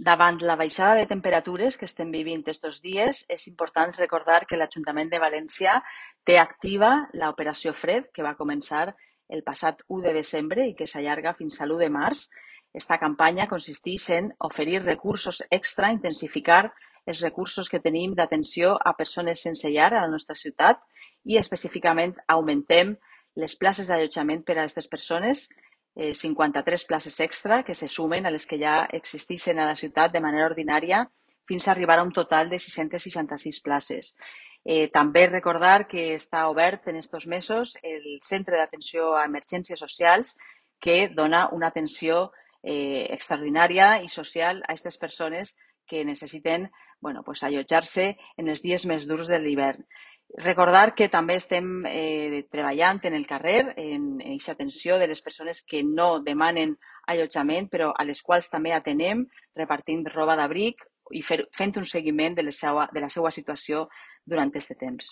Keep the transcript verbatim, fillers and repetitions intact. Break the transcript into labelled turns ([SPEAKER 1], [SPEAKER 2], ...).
[SPEAKER 1] Davant la baixada de temperatures que estem vivint estos dies, és important recordar que l'Ajuntament de València té activa l'operació Fred, que va començar el passat u de desembre i que s'allarga fins a l'u de març. Esta campanya consisteix en oferir recursos extra, intensificar els recursos que tenim d'atenció a persones sense llar a la nostra ciutat i específicament augmentem les places d'allotjament per a aquestes persones, eh, cinquanta-tres places extra que se sumen a les que ja existeixen a la ciutat de manera ordinària fins a arribar a un total de sis-centes seixanta-sis places. Eh, també recordar que està obert en estos mesos el Centre d'Atenció a Emergències Socials que dona una atenció eh, extraordinària i social a aquestes persones que necessiten bueno, pues, allotjar-se en els dies més durs de l'hivern. Recordar que també estem eh, treballant en el carrer en aquesta atenció de les persones que no demanen allotjament, però a les quals també atenem repartint roba d'abric i fer, fent un seguiment de la seva, de la seva situació durant aquest temps.